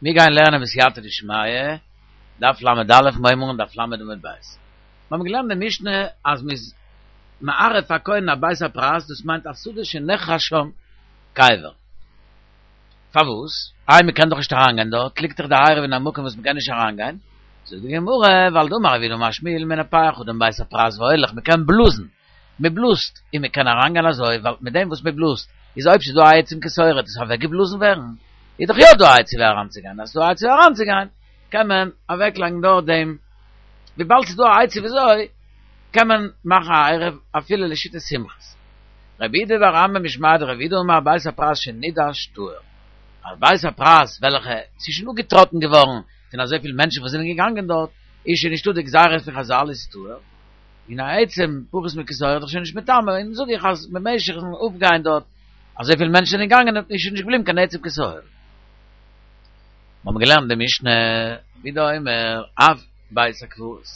מיר גייען לערנען בסייעתא דשמיא, דף ל"א, מיר הייבן אן דף ל' עמוד ב'. מיר האבן געלערנט די משנה אז מ'איז מערב א כהן א בית הפרס, דאס מיינט א שדה שנחרש שם קבר. פארוואס? איי מ'קען דאך נישט אריינגיין דארט, ליגט דאך די עירוב אין א מקום וואס מ'קען נישט אריינגיין. זאגט די גמרא, ווייל דאמר רב יהודה אמר שמואל מנפח אדם בית הפרס והולך, מ'קען בלאזן. מען בלאזט און מען קען אריינגיין אזוי, ווייל מיט דעם וואס מען בלאזט איז אויב ס'איז דא א עצם כשעורה וועט עס אוועקגעבלאזן ווערן, איז דאך יא דא א עצה ווי אריינצוגיין, אז ס'איז דא א עצה ווי אריינצוגיין קען מען אוועקלייגן דארט דעם, וויבאלד ס'איז דא א עצה וויאזוי קען מען מאכן א עירוב אפילו לשיטת סומכוס. רב אידי בר אמי משמיה דרב יהודה אמר בית הפרס שנידש טהור, א בית הפרס וועלכע ס'איז שוין אפגעטראטן געווארן פון אזויפיל מענטשן וואס זענען געגאנגען דארט, איז שוין נישטא די גזירה פון חזל איז טהור. און א עצם פחות מכשעורה איז דאך שוין נישט מטמא, און זאג איך אז במשך'ן אפגיין דארט אזויפיל מענטשן זענען געגאנגען איז שוין נישט געבליבן קיין עצם כשעורה. מיר האבן געלערנט די משנה רבי יהודה אומר אף בית הקברות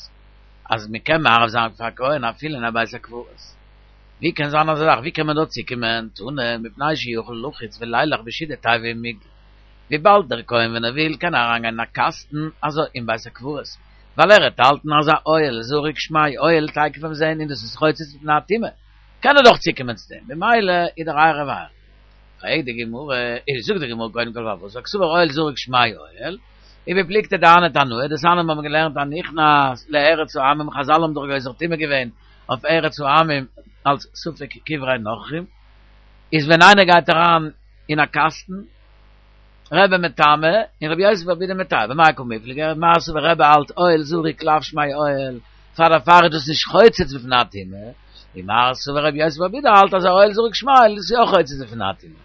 אז מען קען מערב זיין פאר א כהן אפילו אין א בית הקברות. ווי קען זיין אזא זאך? ווי קען מען דארט צוקומען? תנא, מפני שיכול לחוץ ולילך בשידי תיבה ומגדל. וויבאלד דער כהן ווען ער וויל קען אריינגיין אין א קאסטן אזוי אין בית הקברות, ווייל ער וועט האלטן אז א אוהל זרוק שמיה אוהל תיכף ביים זען און דאס איז חוצץ מפני הטומאה, קען ער דאך צוקומען צו דעם, במילא איז דער עירוב עירוב. פרעגט די גמרא, איז זאגט די גמרא קודם כל פארוואס ווייל קסבר אוהל זרוק שמיה אוהל, ובפלוגתא דהני תנאי, דתניא מיר האבן געלערנט הנכנס לארץ העמים חזל האבן דאך גוזר טומאה געווען אויף ארץ העמים אלס ספק קברי נכרים, איז ווען איינער גייט אריין אין א קאסטן, רבי מטמא און רבי יוסי בר בידי מטהר, במאי קמיפלגי, מר סבר רבי האלט אוהל זרוק לאו שמיה אוהל, פאר דערפאר איז דאס נישט חוצץ בפני הטומאה, און מר סבר רבי יוסי בר בידי האלט אז אוהל זרוק שמיה אוהל איז יא חוצץ בפני הטומאה.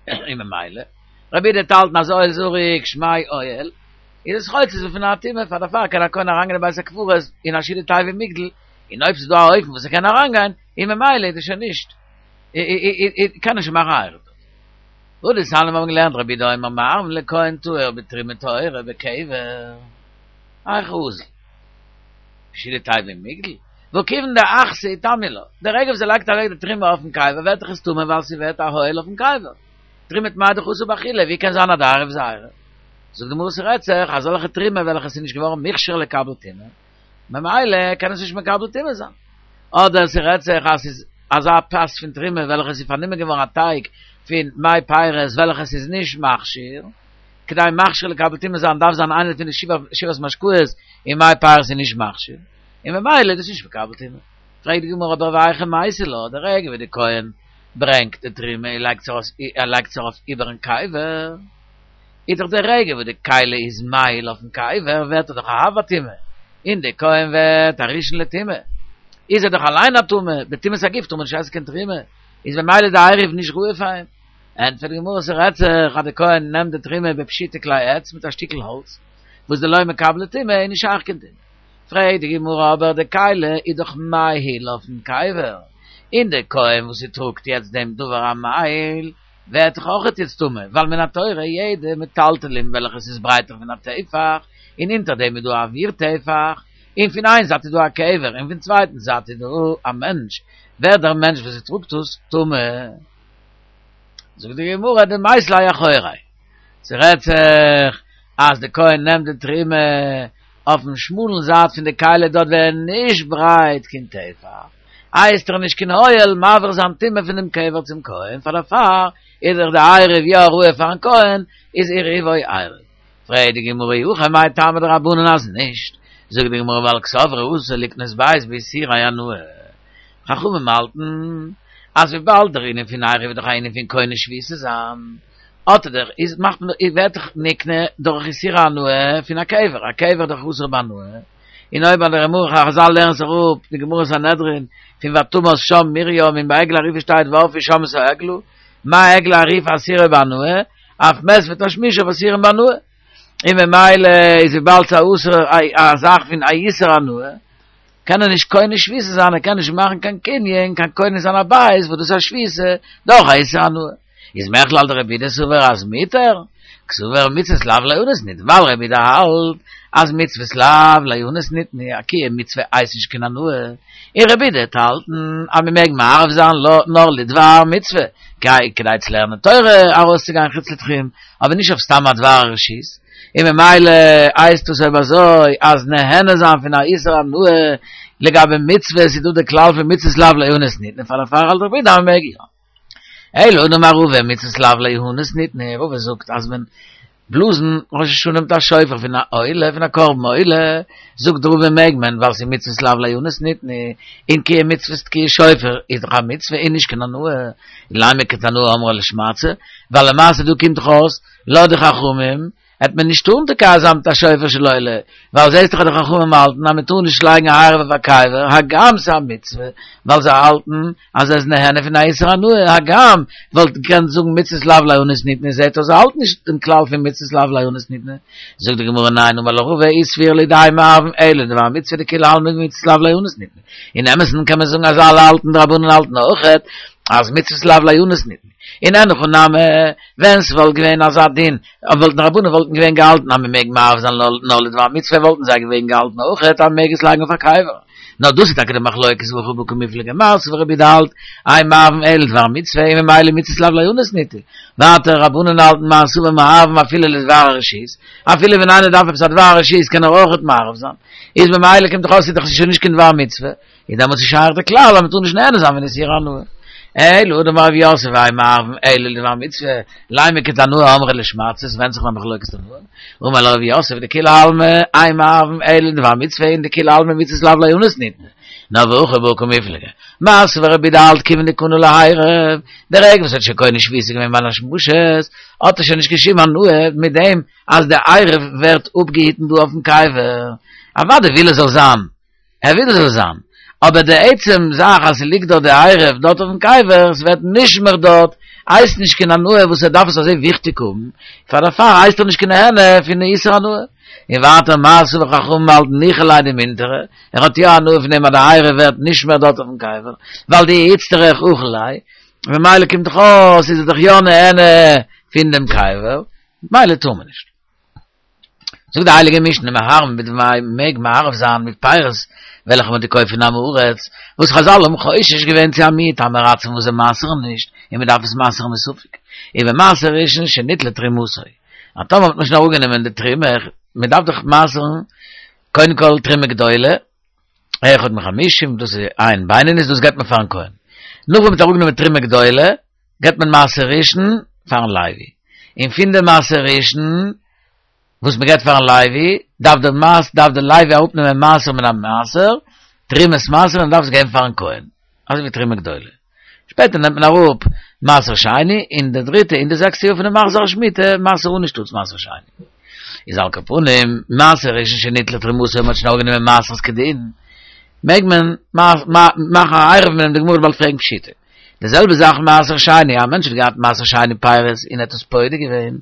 און ממילא, רבי יהודה וועט האלטן אז אוהל זרוק שמיה אוהל, איז עס חוצץ בפני הטומאה, פאר דערפאר קען א כהן אריינגיין אין בית הקברות אין א שידי תיבה ומגדל, און אויב ס'איז דא א אופן וואס ער קען אריינגיין, און ממילא איז עס שוין נישט, קען ער שוין מאכן א עירוב דארט. והא דתניא מיר האבן געלערנט רבי יהודה אומר מערבין לכהן טהור בתרומה טהורה בקבר. היכי אזיל. בשידי תיבה ומגדל. והא כיוון דאחתא איטמיא לה. די רגע וואס ער לייגט אוועק די תרומה אויפן קבר ווערט דאך עס טמא ווייל ס'ווערט א אוהל אויפן קבר. תרומה טמאה דאך אסור באכילה, ווי קען זיין אז די עירוב איז א עירוב? זאגט די גמרא ס'רעדט זיך אזעלכע תרומה וועלכע ס'איז נישט געווארן מוכשר לקבל טומאה. ממילא קען עס נישט מקבל טומאה זיין. אדער ס'רעדט זיך אז ס'איז אזא פת פון תרומה וועלכע ס'איז פארנומען געווארן א טייג פון מי פירות וועלכע ס'איז נישט מכשיר, כדי מכשיר לקבל טומאה זיין דארף זיין איינער פון די שבעת משקאות און מי פירות איז נישט מכשיר, און ממילא איז דאס נישט מקבל טומאה. פרעגט די גמרא אבער והיכי מייתי לה, די רגע ווי די כהן ברענגט די תרומה און לייגט עס ארויף איבערן קבר, איז דאך די רגע וואס די כלי איז מאהיל אויפן קבר ווערט ער דאך א אב הטומאה, און די כהן ווערט א ראשון לטומאה, איז ער דאך אליין א טמא, בטומאת הגוף טאר מען נישט עסן קיין תרומה, איז ממילא איז די עירוב נישט ראוי פאר אים. ענטפערט די גמרא ס'רעדט זיך אז די כהן נעמט די תרומה בפשוטי כלי עץ מיט א שטיקל האלץ וואס דלא מקבלי טומאה איז נישט שייך קיין טומאה. פרעגט די גמרא אבער די כלי איז דאך מאהיל אויפן קבר, און די כהן וואס ס'טראגט יעצט דעם דבר המאהיל, ווערט דאך אויכעט יעצט טמא, ווייל מן התורה יעדע מטלטלין וועלכע ס'איז ברייטער פון א טפח, און אונטער דעם איז דא א אוויר טפח, און פון איין זייט איז דא א קבר און פון צווייטן זייט איז דא א מענטש, ווערט דער מענטש וואס ס'טראגט עס טמא. זאגט די גמרא דמית ליה אחוריה, ס'רעדט זיך אז די כהן נעמט די תרומה אויפן שמאלן זייט פון די כלי דארט ווען נישט ברייט קיין טפח, איז דאך נישט קיין אוהל מעביר זיין טומאה פונעם קבר צום כהן, פאר דערפאר איז דאך די עירוב יא ראוי פארן כהן, איז עירובו עירוב. פרעגט די גמרא אי הכי מאי טעמא דרבנן אז נישט, זאגט די גמרא ווייל קסברי אסור לקנות בית באיסורי הנאה, חכמים האלטן אז וויבאלד דער ענין פון עירוב איז דאך א ענין פון קונה שביתה זיין, האט ער דאך איז מאכט מען ווערט דאך נקנה דורך איסור הנאה פון א קבר, א קבר איז דאך אסור בהנאה, און אויב ביי די גמרא חזל לערנען זיך אפ די גמרא סנהדרין פון ותמת שם מרים און ביי עגלה ערופה שטייט וערפו שם את העגלה, מה עגלה ערופה אסורה בהנאה, אף מת ותשמישיו אסורים בהנאה, און ממילא איז וויבאלד ס'איז אסור א זאך פון א איסור הנאה, קען ער נישט קונה שביתה זיין, ער קען נישט מאכן קיין קנין, קיין קונה זיין א בית וואס דאס איז א שביתה דורך א איסור הנאה. איז מכלל דרבי יהודה סבר אז מותר? קסבר מצוות לאו ליהנות ניתנו, ווייל רבי יהודה האלט אז מצוות לאו ליהנות ניתנו, א קיום מצוה הייסט נישט קיין הנאה, און רבי יהודה וועט האלטן אז מען מעג מערב זיין נאר לדבר מצוה, כדי צו לערנען תורה ארויסצוגיין חוץ לתחום, אבער נישט אויף סתם א דבר רשות, און ממילא הייסט עס אויב אזוי אז נהנה זיין פון א איסור הנאה לגבי מצוות איז דא די כלל פון מצוות לאו ליהנות ניתנו, פאר דערפאר האלט רבי יהודה אז מען מעג יא. אלא דאמר רבא מצוות לאו ליהנות ניתנו, רבא זאגט אז מען בלאזן ראש השנה מיט א שופר פון א עולה פון א קרבן עולה, זאגט רבא מעג מען ווייל ס'איז מצוות לאו ליהנות ניתנו, און קיום מצוות תקיעת שופר איז דאך א מצוה און נישט קיין הנאה, לימא כתנאי אמרה לשמעתתא, ווייל למעשה דא קומט דאך אויס לויט די חכמים העט מען נישט טארן תוקע זיין מיט א שופר של עולה, ווייל זעסט דאך אז די חכמים האלטן אז מען טאר נישט לייגן א עירוב אויף א קבר, הגם ס'איז א מצוה, ווייל זיי האלטן אז ער איז נהנה פון א איסור הנאה, הגם וואלט געקענט זאגן מצוות לאו ליהנות ניתנו, זעט אויס זיי האלטן נישט דעם כלל פון מצוות לאו ליהנות ניתנו. זאגט די גמרא ניין אמר לך רבא אי סבירא להו דאין מערבין אלא לדבר מצוה דכולי עלמא מצוות לאו ליהנות ניתנו, אין אמת'ן קען מען זאגן אז אלע האלטן די רבנן האלטן אויכעט אז מצוות לאו ליהנות ניתנו. און אין הכי נמי, ווען ס'וואלט געווען אזא דין, וואלטן רבנן וואלטן געווען געהאלטן אז מ'מעג מערב זיין נאר לדבר מצוה וואלטן זיי געווען געהאלטן אויכעט אז מ'מעג עס לייגן אויף א קבר. נאר דאס איז טאקע די מחלוקת והכא בקמיפלגי מר סבר רבי יהודה האלט אין מערבין אלא לדבר מצוה און ממילא מצוות לאו ליהנות ניתנו. ווייטער רבנן האלטן מר סבר מערבין אפילו לדבר הרשות, אפילו ווען איינער דארף עפעס א דבר הרשות קען ער אויכעט מערב זיין. איז ממילא קומט דאך אויס ס'איז דאך שוין נישט קיין דבר מצוה. איז דעמאלטס איז שייך די כלל אז מ'טאר נישט נהנה זיין פון איסור הנאה. אלא דאמר רב יוסף אין מערבין אלא לדבר מצוה, לימא כתנאי אמרה לשמעתתא, עס ווענדט זיך אין א מחלוקת תנאים. אמר לך רב יוסף דכולי עלמא אין מערבין אלא לדבר מצוה און דכולי עלמא מצוות לאו ליהנות ניתנו. נאר והכא בהא קמיפלגי. מר סבר רבי יהודה האלט כיוון דקנה לעירוב, די רגע וואס ער האט שוין קונה שביתה געווען בין השמשות, האט ער שוין נישט קיין שום הנאה מיט דעם אז די עירוב ווערט אפגעהיטן דא אויפן קבר. אוודאי וויל ער זאל זיין ער וויל עס זאל זיין, אבער די עצם זאך אז ס'ליגט דארט די עירוב דארט אויפן קבר, ס'ווערט נשמר דארט, הייסט נישט קיין הנאה וואס ער דארף עס אזוי וויכטיג האבן, פאר דערפאר הייסט ער נישט קיין נהנה פון די איסור הנאה. און ווייטער מר סבר חכמים האלטן ניחא ליה דמינטרא, ער האט יא הנאה פון דעם אז די עירוב ווערט נשמר דארט אויפן קבר, ווייל דאי איצטריך אכיל ליה, ממילא קומט דאך אויס איז ער דאך יא נהנה פון דעם קבר, ממילא טאר מען נישט. זאגט די הייליגע משנה מערבין בדמאי מעג מערב זיין מיט פירות וועלכע מ'האט געקויפט פון עם הארץ, וואס חזל האבן חושש געווען צו א מיעוט עם הארצים וואס זיי מעשר'ן נישט און מ'דארף עס מעשר'ן מספק, ובמעשר ראשון שניטלה תרומתו, אז טאמער האט מען שוין אראפגענומען די תרומה, מ'דארף דאך מעשר'ן קודם כל תרומה גדולה, אחד מחמישים, דאס איז עין בינונית, דאס געבט מען פארן כהן. נאך ווען מ'האט אראפגענומען תרומה גדולה, געבט מען מעשר ראשון פארן לוי. און פון די מעשר ראשון וואס מ'געבט פארן לוי, דארף דער מעש דארף דער לוי אראפנעמען מעשר מן המעשר, תרומת מעשר, און דארף עס געבן פארן כהן. אזוי ווי תרומה גדולה. שפעטער נעמט מען אראפ מעשר שני, און די דריטע און די זעקסטע יאר פונעם מחזור השמיטה, מעשר עני שטאטס מעשר שני. איז על כל פנים, מעשר ראשון שניטלה תרומתו, מ'האט שוין אראפגענומען מעשרות כדין, מעג מען מאכן א עירוב מיט דעם, די גמרא וועט באלד פרעגן פשיטא. די זעלבע זאך מעשר שני, א מענטש האט געהאט מעשר שני פירות און האט עס פודה געווען,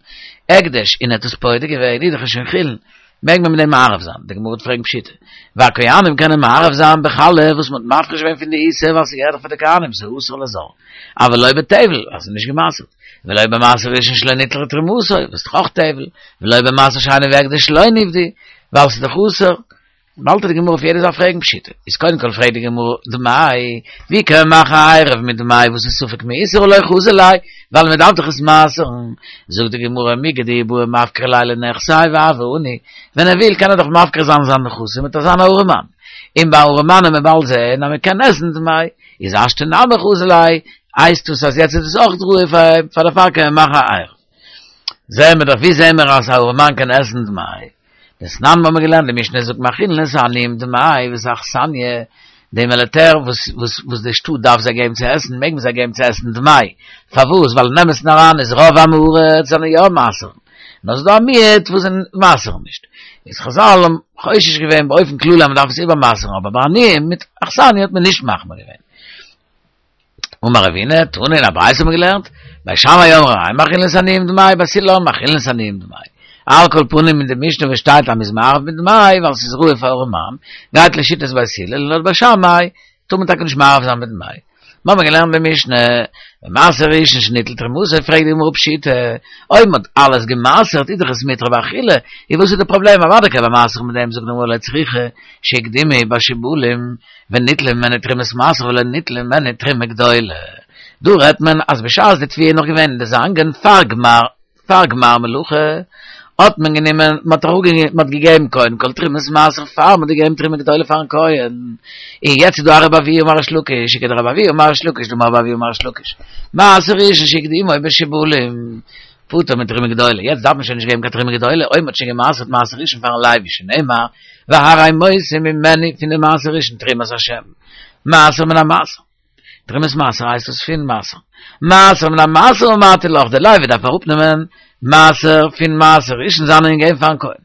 הקדש און האט עס פודה געווען, איז דאך שוין חולין, מעג מען מיט דעם מערב זיין, די גמרא וועט פרעגן פשיטא, והכהנים קענען מערב זיין בחלה וואס מען האט מפריש געווען פון די עיסה ווייל ס'געהערט דאך פאר די כהנים, ס'איז אסור לזר, אבל לא בטבל, ווייל ס'איז נישט גע'מעשר'ט, ולא במעשר ראשון שלא ניטלה תרומתו, וואס איז דאך אויך טבל, ולא במעשר שני והקדש שלא נפדו, ווייל ס'איז דאך אסור. באלד וועט די גמרא אויף יעדע זאך פרעגן פשיטא. איז קודם כל פרעגט די גמרא דמאי, ווי קען מען מאכן א עירוב מיט דמאי וואס איז ספק מעושר הא לא חזי ליה, ווייל מען דארף דאך עס מעשר'ן. זאגט די גמרא מיגו דאי בעי מפקרא ליה לנכסיה והוי עני, ווען ער וויל קען ער דאך מפקיר זיין זיין נכסים וועט ער זיין א ארעמאן. און ביי ארעמאן וועט מען באלד זעהן אז מען קען עסן דמאי, איז השתא נמי חזי ליה, הייסט עס אז יעצט איז עס אויך ראוי פאר אים, פאר דערפאר קען מען מאכן א עירוב. זעהן מיר דאך ווי זעהן מיר אז א ארעמאן קען עסן דמאי? דתנן האבן מיר געלערנט די משנה זאגט מאכילין את העניים דמאי ואת האכסניא, די מיליטער וואס וואס וואס די שטאט דארף זיי געבן צו עסן מעג מען זיי געבן צו עסן דמאי, פארוואס ווייל אין אמת'ן אריין איז רוב עם הארץ זענען יא מעשר'ן, נאר ס'איז דא א מיעוט וואס זענען מעשר'ן נישט, איז חזל האבן חושש געווען באופן כללי אז מען דארף עס איבערמעשר'ן אבער ביי עניים מיט אכסניא האט מען נישט מחמיר געווען. אמר רבינא, תנא אין א ברייתא האט מען געלערנט, בית שמאי אומרים אין מאכילין את העניים דמאי, בית הלל אומרים מאכילין את העניים דמאי. על כל פנים אין די משנה וואס שטייט אז מ'איז מערב מיט דמאי ווייל ס'איז ראוי פאר ארעמאן, גייט לשיטת בית הלל און לויט בית שמאי טאר מען טאקע נישט מערב זיין מיט דמאי. מיר האבן געלערנט במשנה, במעשר ראשון שניטל תרומתו, פרעגט די גמרא פשיטא, אויב מ'האט אלעס גע'מעשר'ט איז דאך עס מותר באכילה, איז וואס איז די פראבלעם, אוודאי קען מען מעשר'ן מיט דעם, זאגט די גמרא לא צריכא שהקדימו בשיבולים וניטלה ממנו תרומת מעשר ולא ניטלה ממנו תרומה גדולה. דא רעדט מען אז בשעת די תבואה איז נאך געווען אין די זאנגען פאר גמר פאר גמר מלאכה האט מען גענומען מען האט אראפגענומען מען האט געגעבן קודם כל תרומת מעשר פאר מען האט געגעבן תרומה גדולה פארן כהן, און יעצט איז דא א רבי אבהו אמר ריש לקיש וכדרבי אבהו אמר ריש לקיש דאמר רבי אבהו אמר ריש לקיש מעשר ראשון שהקדימו בשיבולים פטור מתרומה גדולה, יעצט דארף מען שוין נישט געבן קיין תרומה גדולה אויב מען האט שוין גע'מעשר'ט מעשר ראשון פארן לוי שנאמר והרי מותים ממנו פון די מעשר ראשון תרומת השם מעשר מן המעשר. תרומת מעשר הייסט עס פון מעשר. מעשר מן המעשר אמרתי לך, די לוי דארף אראפנעמען מעשר פון מעשר ראשון זיינען געבן פארן כהן.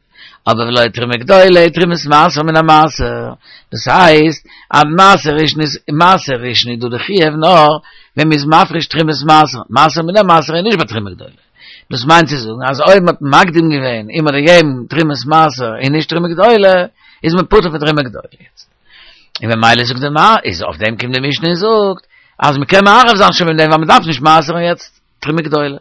אבער ולא תרומה גדולה, תרומת מעשר מן המעשר. דאס הייסט אז מעשר ראשון איז מעשר ראשון איז דא די חיוב נאר ווען מ'איז מפריש תרומת מעשר, מעשר מן המעשר איז נישט ביי תרומה גדולה. דאס מיינט צו זאגן אז אויב מ'האט מקדים געווען און מ'האט געגעבן תרומת מעשר און נישט תרומה גדולה, איז מען פטור פון תרומה גדולה יעצט. און ממילא זאגט די מ איז אויף דעם קומט די משנה און זאגט אז מ'קען מערב זיין שוין מיט דעם ווייל מ'דארף נישט מעשר'ן יעצט תרומה גדולה.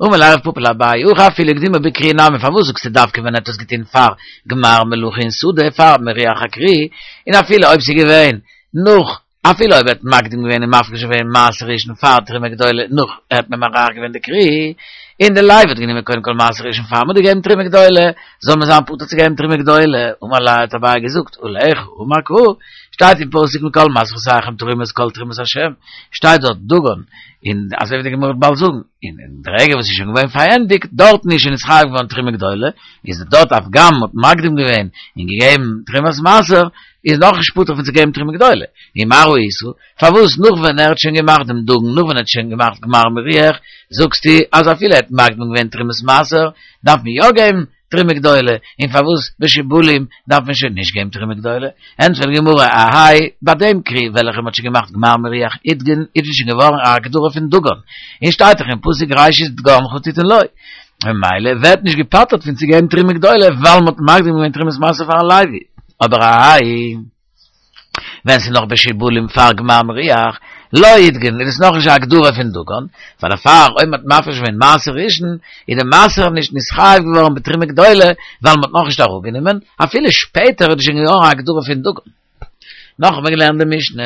אמר ליה רב פפא לאביי הכא אפילו הקדימו בכרי נמי פארוואס זאגסטו דווקא ווען ער האט עס געטון פאר גמר מלאכה אין שדה פאר מריח הכרי און אפילו אויב ס'איז געווען נאך אפילו אויב ער האט מקדים געווען און מפריש געווען מעשר ראשון פאר תרומה גדולה נאך ער האט ממרח געווען די כרי און די לוי האט גענומען קודם כל מעשר ראשון פאר מ'האט געגעבן תרומה גדולה זאל מען זיין פטור צו געבן תרומה גדולה, אמר ליה האט אביי געזאגט, עליך אמר קרא, שטייט אין פסוק מכל מעשרותיכם תרימו את כל תרומת השם, שטייט דארט דגן, און אזוי ווי די גמרא וועט באלד זאגן, און אין די רגע וואס איז שוין געווען פארענדיגט, דארטן איז שוין נתחייב געווארן תרומה גדולה, איז דארט הגם מ'האט מקדים געווען און געגעבן תרומת מעשר, איז נאכנישט פטור פון צו געבן תרומה גדולה, ומה ראית, פארוואס נאך ווען ער האט שוין געמאכט דעם דגן, נאך ווען ער האט שוין געמאכט גמר מריח, זאגסטו אז אפילו ער האט מקדים געווען תרומת מעשר, דארף מען יא געבן תרומה גדולה, און פארוואס בשיבולים דארף מען שוין נישט געבן תרומה גדולה? ענטפערט די גמרא, אהייא, ביי דעם כרי וועלכע מען האט שוין געמאכט גמר מריח אידגן איז עס שוין געווארן א הגדרה פון דגן, און שטייט דאך אין פסוק ראשית דגנך תתן לו, ממילא ווערט נישט געפטר'ט פון צו געבן תרומה גדולה ווייל מען האט מקדים געווען תרומת מעשר פארן לוי, אבער אהייא. ווען ס'איז נאך בשיבולים פאר גמר מריח, לא אידגן, איז עס נאכנישט א הגדרה פון דגן, פאר דערפאר אויב מ'האט מפריש געווען מעשר ראשון, איז די מעשר נישט נתחייב געווארן בתרומה גדולה, ווייל מ'האט נאכנישט אראפגענומען, אפילו שפעטער איז עס שוין געווארן א הגדרה פון דגן. נאך האט מען געלערנט די משנה,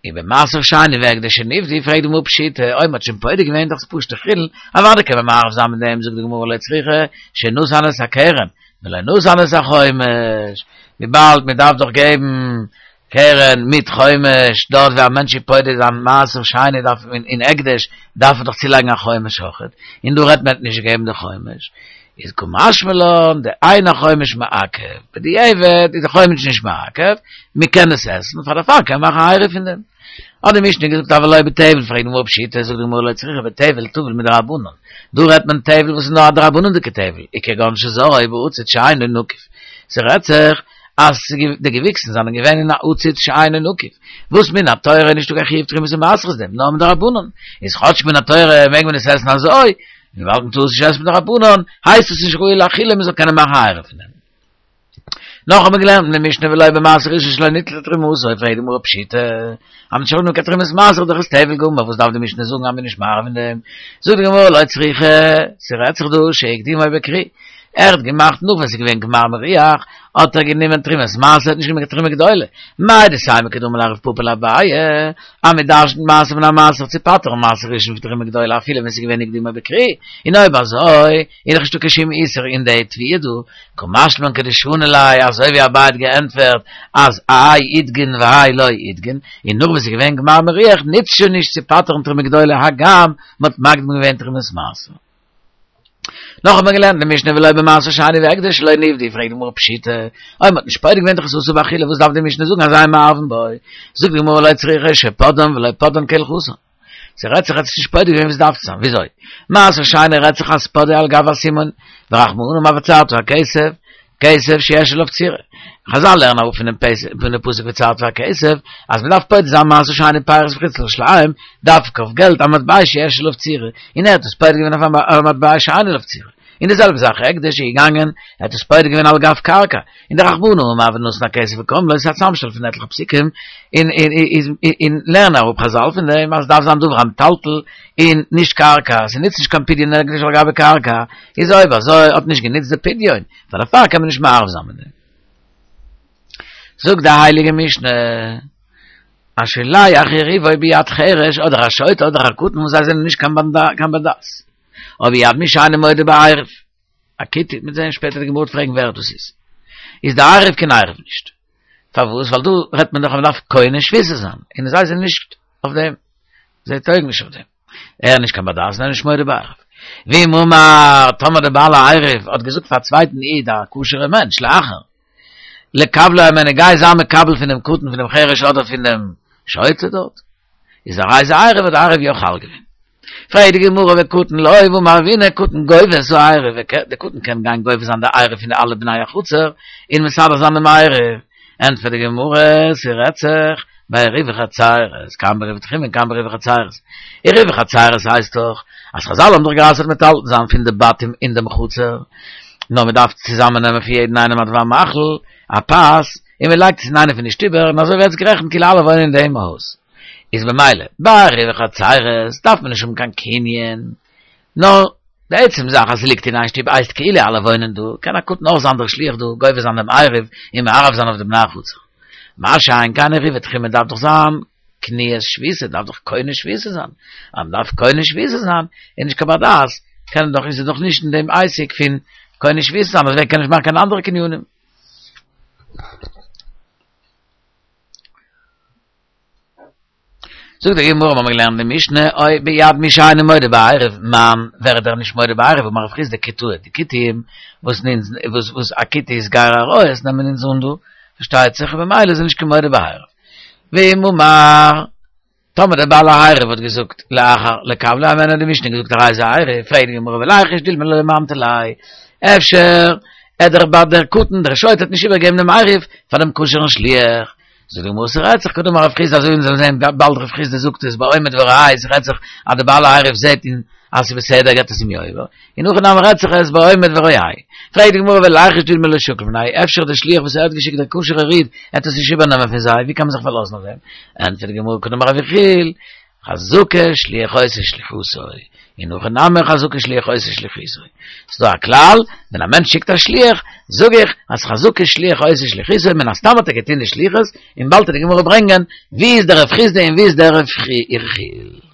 ובמעשר שני והקדש שנפדו, פרעגט די גמרא פשיטא, אויב מ'האט שוין פודה געווען דאך פשוטע חולין, אוודאי קען מען מערב זיין מיט דעם, זאגט די גמרא לא צריכא שנתן את הקרן, ולא נתן את החומש, וויבאלד מען דארף דאך געבן קרן מיט חומש, דארט ווי א מענטש איז פודה זיין מעשר שני דארף מען אין הקדש דארף ער דאך צולייגן א חומש אויכעט, און דא רעדט מען האט נישט געגעבן די חומש, איז קא משמע לן דאין החומש מעכב, בדיעבד איז די חומש נישט מעכב, מען קען עס עסן, פאר דערפאר קען מען מאכן א עירוב פון דעם. האט די משנה געזאגט אבל לא בטבל, פרעגט די גמרא פשיטא, זאגט די גמרא לא צריכא בטבל טבול מדרבנן, דא רעדט מען טבל וואס איז נאר א דרבנן'דיגע טבל, וכגון שזרעו בעציץ שאינו נקוב, ס'רעדט זיך אז די געוויקסן זענען געווען אין א עציץ שאינו נקוב, וואס מן התורה איז נישטא קיין חיוב תרומות ומעשרות דעם, נאר מדרבנן, איז כאטש מן התורה מעג מען עס עסן אזוי, און וויבאלד מ'טאר עס נישט עסן מדרבנן, הייסט עס נישט ראוי לאכילה מ'זאל קענען מאכן א עירוב פון דעם. נאך האט מען געלערנט אין די משנה ולא במעשר ראשון שלא ניטלה תרומתו, פרעגט די גמרא פשיטא, אז מ'האט שוין קיין תרומת מעשר דאך איז טבל גמור, וואס דארף די משנה זאגן אז מ'איז נישט מערב אין דעם? זאגט די גמרא לא צריכא, ס'רעדט זיך דא שהקדימו בכרי, ער האט געמאכט נאך ווען ס'איז געווען גמר מריח, האט ער גענומען תרומת מעשר, האט נישט גענומען קיין תרומה גדולה, מהו דתימא כדאמר ליה רב פפא לאביי, אז מ'דרש'נט מעשר מן המעשר צו פטר'ן מעשר ראשון פון תרומה גדולה אפילו ווען ס'איז געווען הקדימו בכרי, און אויב אזוי איז דאך נישטא קיין שום איסור אין די תבואה דא, קא משמע לן כדשני ליה, אזוי ווי אביי האט געענטפערט אז האי אידגן והאי לא אידגן, און נאך וואס ס'איז געווען גמר מריח נוצט שוין נישט צו פטר'ן תרומה גדולה הגם מ'האט מקדים געווען תרומת מעשר. נאך האט מען געלערנט אין די משנה ולא במעשר שני והקדש שלא נפדו, פרעגט די גמרא פשיטא, אויב מ'האט נישט פודה געווען דאך איז אסור באכילה וואס דארף די משנה זאגן אז אין מערבין בו, זאגט די גמרא לא צריכא שפדאן ולא פדאן כהלכתן. ס'רעדט זיך אז ס'איז נישט פודה געווען ווי ס'דארף צו זיין, וויאזוי? מעשר שני רעדט זיך אז פדאו על גב הסימון, ורחמנא אמר וצרת הכסף, כסף שיש עליו צורה. חזל לערנען אראפ פונעם פונעם פסוק וצרת הכסף, אז מ'דארף פודה זיין מעשר שני פירות פון חוץ לירושלים, דווקא אויף געלט א מטבע שיש עליו צורה, און ער האט עס פודה געווען אויף א מטבע שאין עליו צורה. און די זעלבע זאך הקדש איז געגאנגען, ער האט עס פודה געווען על גב קרקע, און דרחמנא אמר ונתן הכסף וקם לו, ס'איז א צאמשטעל פון עטליכע פסוקים, און און לערנען אראפ חזל פון דעם אז ס'דארף זיין דבר המטלטל און נישט קרקע, ס'נוצט נישט קיין פדיון הקדש על גבי קרקע, איז אויב אזוי האט נישט גענוצט די פדיון, פאר דערפאר קען מען נישט מערב זיין מיט דעם. זאגט די הייליגע משנה. השולח עירובו ביד חרש אדער א שוטה אדער א קטן וואס זיי זענען נישט קיין בר דעת. או ביד מי שאינו מודה בעירוב. א כותי, מ'וועט זען שפעטער די גמרא וועט פרעגן ווער דאס איז. איז די עירוב קיין עירוב נישט. פארוואס? ווייל דא רעדט מען דאך אז מ'דארף קונה שביתה זיין, און זיי זענען נישט אויף דעם. זיי טויגן נישט אויף דעם. ער איז נישט קיין בר דעת און ער איז נישט מודה בעירוב. ואם אמר, טאמער דער בעל העירוב האט געזאגט פאר א צווייטן איד א כשר'ער מענטש, לאחר. לקבלו הימנו גיי זיי מקבל פון דעם קטן פון דעם חרש אדער פון דעם שוטה דארט איז הרי זה עירוב האט די עירוב יא חל געווען. פרעגט די גמרא וקטן לא והאמר רב הונא קטן גובה את העירוב די קטן קען גיין גובה זיין די עירוב פון די אלע בני החצר און מסדר זיין דעם עירוב ענטפערט די גמרא ס'רעדט זיך בעירובי חצירות כאן בעירובי תחומין כאן בעירובי חצירות עירובי חצירות הייסט דאך אז חזל האבן דאך גע'אסר'ט מטלטל זיין פון די בתים אין דעם חצר נאר מען דארף צוזאמען נעמען פון יעדן איינעם א דבר מאכל, א פת, און מען לייגט עס אין איינע פון די שטובער, און אזוי ווערט עס גערעכנט כאילו אלע וואוינען אין דעם הויז. איז במילא, ביי עירובי חצירות דארף מען נישט האבן קיין קנין, נאר די עצם זאך אז ס'ליגט אין איין שטוב הייסט כאילו אלע וואוינען דא, קען א קטן אויך זיין דער שליח דא, גובה זיין דעם עירוב און מערב זיין אויף די בני החצר. מה שאין כן עירובי תחומין דארף דאך זיין קניית שביתה דארף דאך קונה שביתה זיין, אז מ'דארף קונה שביתה זיין איז נישט קיין בר דעת, קען דאך איז ער דאך נישט אין דעם עסק פון קונה שביתה זיין, דעסוועגן קען נישט מאכן קיין אנדערע קנינים. זאגט די גמרא, מ'האמיר געלערנט די משנה, או ביד מי שאינו מודה בעירוב, מאן, ווער איז דער נישט מודה בעירוב, אמר רב חסדא כותאי, די כותים, וואס וואס וואס א כותי איז גר עריות נעמען אונז אן דא, פארשטייט זיך, במילא איז ער נישט קיין מודה בעירוב. ואם אמר, טאמער דער בעל העירוב האט געזאגט לאחר לקבלו הימנו האט די משנה געזאגט הרי זה עירוב, פרעגט די גמרא וליחוש דילמא לא ממטר ליה, אפשר ער דער בעל דער קטן דער שוטה האט נישט איבערגעגעבן דעם עירוב פאר דעם כשר'ן שליח, זאגט די גמרא ס'רעדט זיך כדאמר רב חסדא אזוי ווי אונז וועלן זען באלד רב חסדא זאגט עס בעומד ורואה ס'רעדט זיך אז דער בעל העירוב זעט און אז ס'איז בסדר געבט עס אים יא איבער, אין הכי נמי רעדט זיך עס בעומד ורואה. פרעגט די גמרא וליחוש דילמא לא שקיל מינייהו, אפשר דער שליח וואס ער האט געשיקט דער כשר'ער איד, עט עס נישט איבערנעמען פון זיי, ווי קען מען זיך פארלאזן אויף דעם? ענטפערט די גמרא כדאמר רב יחיאל, חזקה שליח עושה שליחותו, אין הכי נמי חזקה שליח עושה שליחותו. ס'איז דא א כלל, ווען א מענטש שיקט א שליח, זאג איך אז חזקה שליח עושה שליחותו, מן הסתם האט ער געטון די שליחות, און באלד וועט די גמרא ברענגען ווי איז דער רב חסדא און ווי איז דער רב יחיאל.